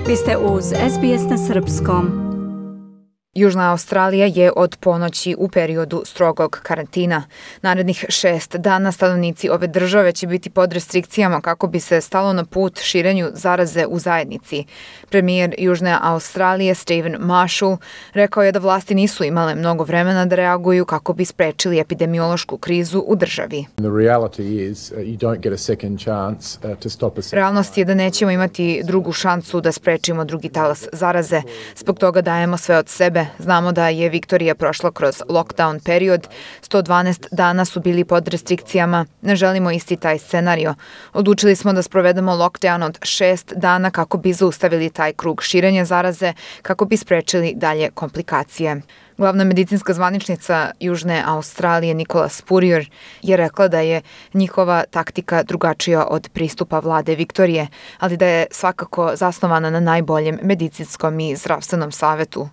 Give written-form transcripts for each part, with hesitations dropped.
Vi ste uz SBS na srpskom. Južna Australija je od ponoći u periodu strogog karantina. Narednih 6 dana stanovnici ove države će biti pod restrikcijama kako bi se stalo na put širenju zaraze u zajednici. Premijer Južne Australije Stephen Marshall rekao je da vlasti nisu imale mnogo vremena da reaguju kako bi sprečili epidemiološku krizu u državi. Realnost je da nećemo imati drugu šansu da sprečimo drugi talas zaraze. Zbog toga dajemo sve od sebe. Znamo da je Viktorija prošla kroz lockdown period, 112 dana su bili pod restrikcijama, ne želimo isti taj scenario. Odlučili smo da sprovedemo lockdown od 6 dana kako bi zaustavili taj krug širenja zaraze, kako bi sprečili dalje komplikacije. Glavna medicinska zvaničnica Južne Australije Nicola Spurrier je rekla da je njihova taktika drugačija od pristupa vlade Viktorije, ali da je svakako zasnovana na najboljem medicinskom i zdravstvenom savetu.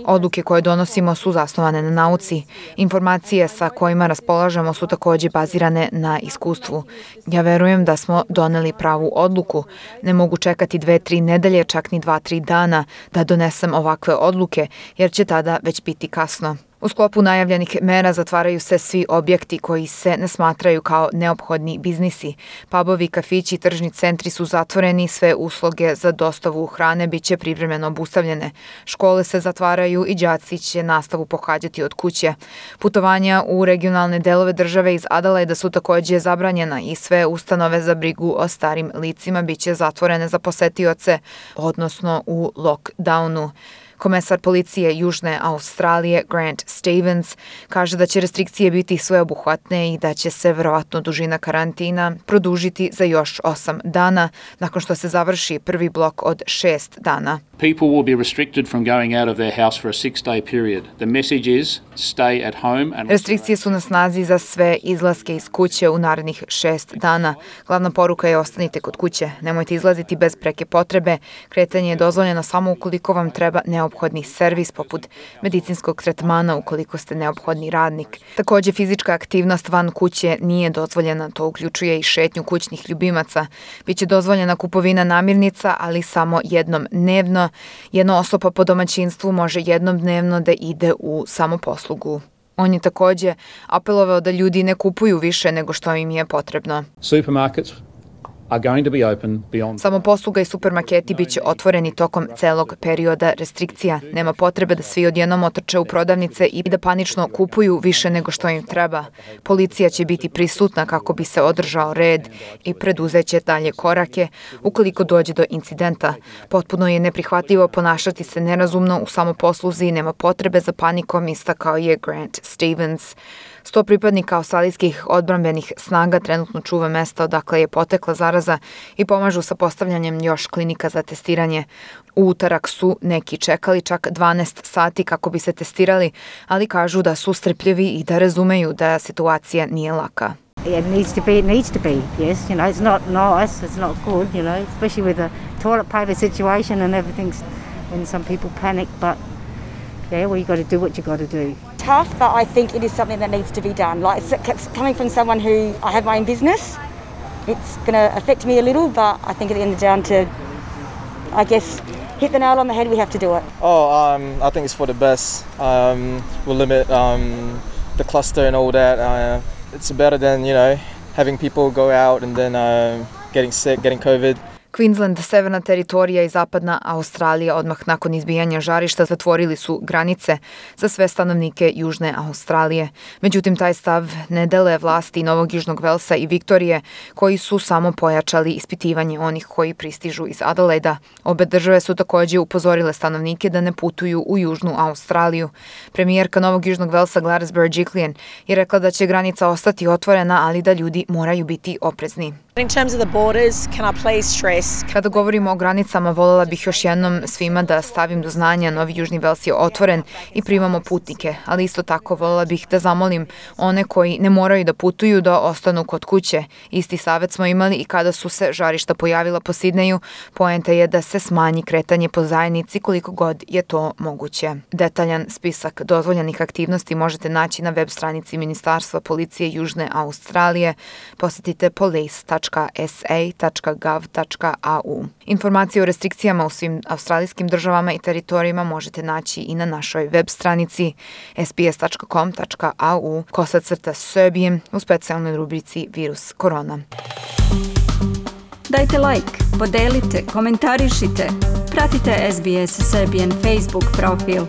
Odluke koje donosimo su zasnovane na nauci. Informacije sa kojima raspolažemo su takođe bazirane na iskustvu. Ja verujem da smo doneli pravu odluku. Ne mogu čekati 2-3 nedelje, čak ni 2-3 dana da donesem ovakve odluke, jer će tada već biti kasno. U sklopu najavljenih mera zatvaraju se svi objekti koji se ne smatraju kao neophodni biznisi. Pubovi, kafići i tržni centri su zatvoreni, sve usluge za dostavu hrane biće privremeno obustavljene. Škole se zatvaraju i đaci će nastavu pohađati od kuće. Putovanja u regionalne delove države iz Adelaida su takođe zabranjena i sve ustanove za brigu o starim licima biće zatvorene za posetioce, odnosno u lockdownu. Komesar policije Južne Australije Grant Stevens kaže da će restrikcije biti sveobuhvatne i da će se verovatno dužina karantina produžiti za još 8 dana nakon što se završi prvi blok od 6 dana. People will be restricted from going out of their house for a 6-day period. The message is stay at home and Restrikcije su na snazi za sve izlaske iz kuće u narednih 6 dana. Glavna poruka je ostanite kod kuće, nemojte izlaziti bez preke potrebe. Kretanje je dozvoljeno samo ukoliko vam treba neophodni servis poput medicinskog tretmana ukoliko ste neophodni radnik. Takođe, fizička aktivnost van kuće nije dozvoljena, to uključuje i šetnju kućnih ljubimaca. Biće dozvoljena kupovina namirnica, ali samo jednom dnevno. Jedna osoba po domaćinstvu može jednom dnevno da ide u samoposlugu. On je takođe apelovao da ljudi ne kupuju više nego što im je potrebno. Samoposluga i supermarketi biće otvoreni tokom celog perioda restrikcija. Nema potrebe da svi odjednom otrče u prodavnice i da panično kupuju više nego što im treba. Policija će biti prisutna kako bi se održao red i preduzeće dalje korake ukoliko dođe do incidenta. Potpuno je neprihvatljivo ponašati se nerazumno u samoposluzi i nema potrebe za panikom, istakao je Grant Stevens. 100 pripadnika australijskih odbrambenih snaga trenutno čuva mesta odakle je potekla zaraza i pomažu sa postavljanjem još klinika za testiranje. U utorak su neki čekali čak 12 sati kako bi se testirali, ali kažu da su strpljivi i da razumeju da situacija nije laka. It needs to be, yes, it's not nice, it's not good, especially with the toilet paper situation and everything, when some people panic, but yeah, well, you got to do what you got to do. Tough, but I think it is something that needs to be done. Like, it's coming from someone who I have my own business. It's going to affect me a little, but I think at the end of the day, to, I guess, hit the nail on the head, we have to do it. I think it's for the best. We'll limit the cluster and all that. It's better than, having people go out and then getting sick, getting COVID. Queensland, severna teritorija i zapadna Australija odmah nakon izbijanja žarišta zatvorili su granice za sve stanovnike Južne Australije. Međutim, taj stav ne dele vlasti Novog Južnog Velsa i Viktorije, koji su samo pojačali ispitivanje onih koji pristižu iz Adelaida. Obe države su takođe upozorile stanovnike da ne putuju u Južnu Australiju. Premijerka Novog Južnog Velsa Gladys Berejiklian je rekla da će granica ostati otvorena, ali da ljudi moraju biti oprezni. In terms of the borders, can I please stress? Kada govorimo o granicama, voljela bih još jednom svima da stavim do znanja Novi Južni Vels je otvoren i primamo putnike, ali isto tako voljela bih da zamolim one koji ne moraju da putuju da ostanu kod kuće. Isti savet smo imali i kada su se žarišta pojavila po Sidneju. Poenta je da se smanji kretanje po zajednici koliko god je to moguće. Detaljan spisak dozvoljenih aktivnosti možete naći na web stranici Ministarstva policije Južne Australije. Posjetite police.gov.au. sbs.sa.gov.au. Informacije o restrikcijama u svim australijskim državama i teritorijima možete naći i na našoj web stranici sbs.com.au/Serbian u specijalnoj rubrici Virus korona. Dajte like, podelite, komentarišite. Pratite SBS Serbian Facebook profil.